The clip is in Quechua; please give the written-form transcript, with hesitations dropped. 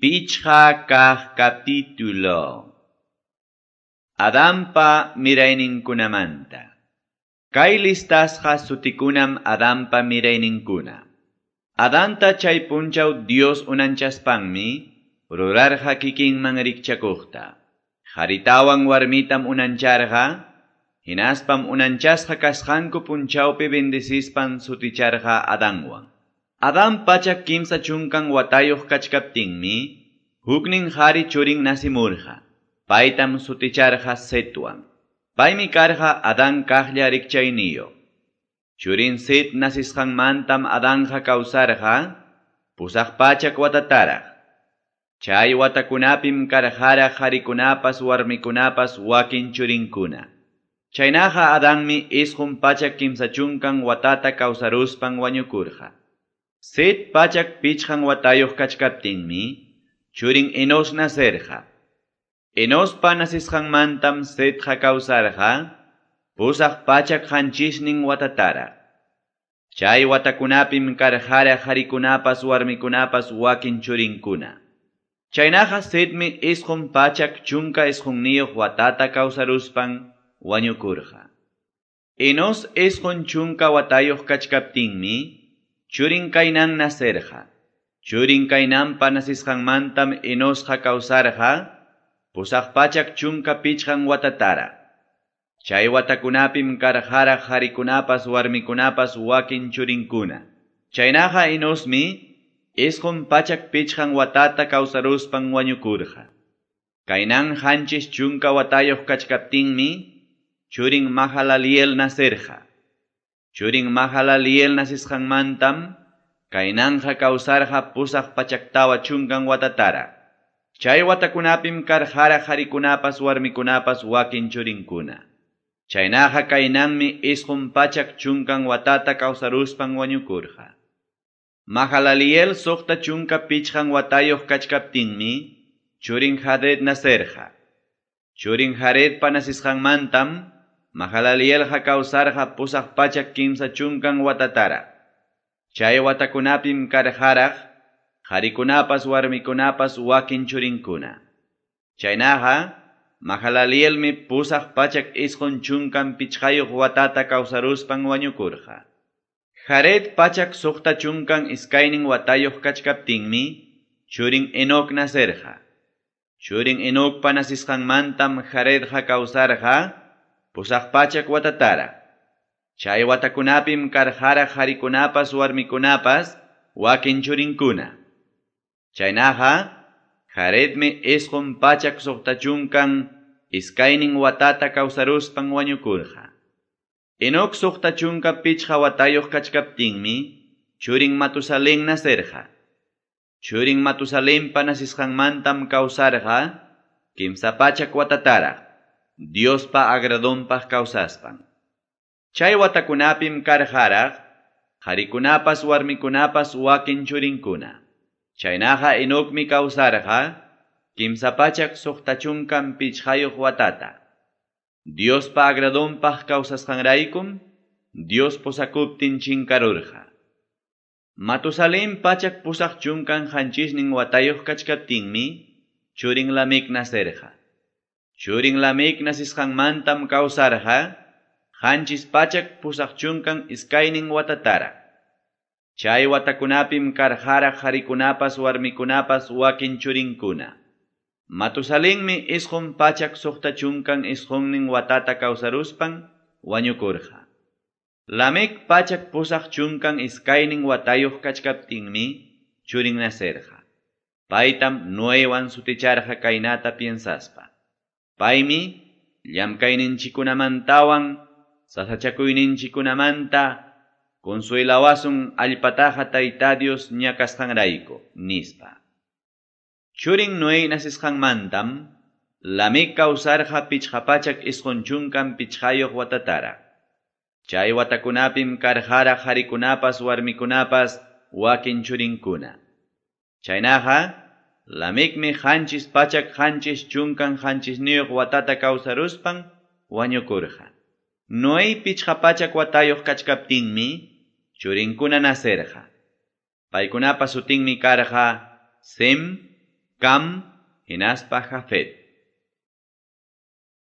Pichqa kaq capítulo. Adampa mirayninkunamanta. Kay listasqa sutikunam Adampa mirayninkuna. Adanta chay punchaw Dios unanchaspanmi rurarqa kikinman rikchakuqta. Qharitawan warmitam unancharqa, hinaspam unanchasqa kasqanku punchawpi bendecispan suticharqa Adanwan. Adán 130 watayuq kachkaptinmi, huknin qhari churin nasimurqa. Paytam suticharqa Setwan. Paymi karqa Adán kaqlla rikchayniyuq. Churin Set nasisqanmantam Adanqa kawsarqa 800 watataraq. Chay watakunapim karqaraq qharikunapas warmikunapas wakin churinkuna. Chaynaqa Adanmi 930 watata kawsaruspan wañukurqa. Set 105 watayuq kachkaptinmi, churin Enos nacerqa. Enospa nasisqanmantam Setqa kawsarqa 807 watataraq. Chay watakunapim karqaraq qharikunapas warmikunapas wakin churinkuna. Chaynaqa Setmi 919 watata kawsaruspan wañukurqa. Enos 90 watayuq kachkaptinmi, churin Cainán nacerqa. Churin Cainanpa nasisqanmantam Enosqa kawsarqa 815 watataraq. Chay watakunapim karqaraq qharikunapas warmikunapas wakin churinkuna. Chaynaqa Enosmi 905 watata kawsaruspan wañukurqa. Cainán 70 watayuq kachkaptinmi, churin Mahalaliel nacerqa. Churin Mahalaliel nasisqanmantam, Cainanqa kawsarqa 840 watataraq. Chay watakunapim karqaraq qharikunapas warmikunapas wakin churinkuna. Chaynaqa Cainanmi 910 watata kawsaruspan wañukurqa. Mahalaliel 65 watayuq kachkaptinmi, churin Jared nacerqa. Churin Jaredpa nasisqanmantam, Mahalalielqa kawsarqa 830 watataraq. Chay watakunapim karqaraq qharikunapas warmikunapas wakin churinkuna. Chaynaqa Mahalalielmi 895 watata kawsaruspan wañukurqa. Jared 162 watayuq kachkaptinmi, churin Enoc nacerqa. Churin Enocpa nasisqanmantam Jaredqa kawsarqa 800 watataraq. Chay watakunapim karqaraq qharikunapas warmikunapas wakin churinkuna. Chaynaqa Jaredmi 962 watata kawsaruspan wañukurqa. Enoc 65 watayuq kachkaptinmi, churin Matusalén nacerqa. Churin Matusalenpa nasisqanmantam kawsarqa 300 watataraq, Diospa agradonpaq kawsaspan. Chay watakunapim karqaraq qharikunapas warmikunapas wakin churinkuna. Chaynaqa Enocmi kawsarqa 365 watata. Diospa agradonpaq kawsasqanraykum, Dios posakuptin chinkarurqa. Matusalén 887 watayuq kachkaptinmi, churin Lamec nacerqa. Churin Lamec nasisqanmantam kawsarqa 782 watataraq. Chay watakunapim karqaraq qharikunapas warmikunapas wakin churinkuna. Matusalenmi 969 watata kawsaruspan wañukurqa. Lamec 882 watayuq kachkaptinmi, churin nacerqa. Paytam Noewan suticharqa kaynata piensaspa. Paymi llamkayninchikkunamantawan sasachakuyninchikkunamanta consuelawasun allpataqa Tayta Dios ñakasqanrayku, nispa. Churin Noé nasisqanmantam, Lamec kawsarqa 595 watataraq. Chay watakunapim karqaraq qharikunapas warmikunapas wakin churinkuna. Chaynaqa Lamecmi 779 watata kawsaruspan wañukurqa. Noé 500 watayuq kachkaptinmi, churinkuna nacerqa. Paykunapa sutinmi karqa Sem, Cam hinaspa Jafet.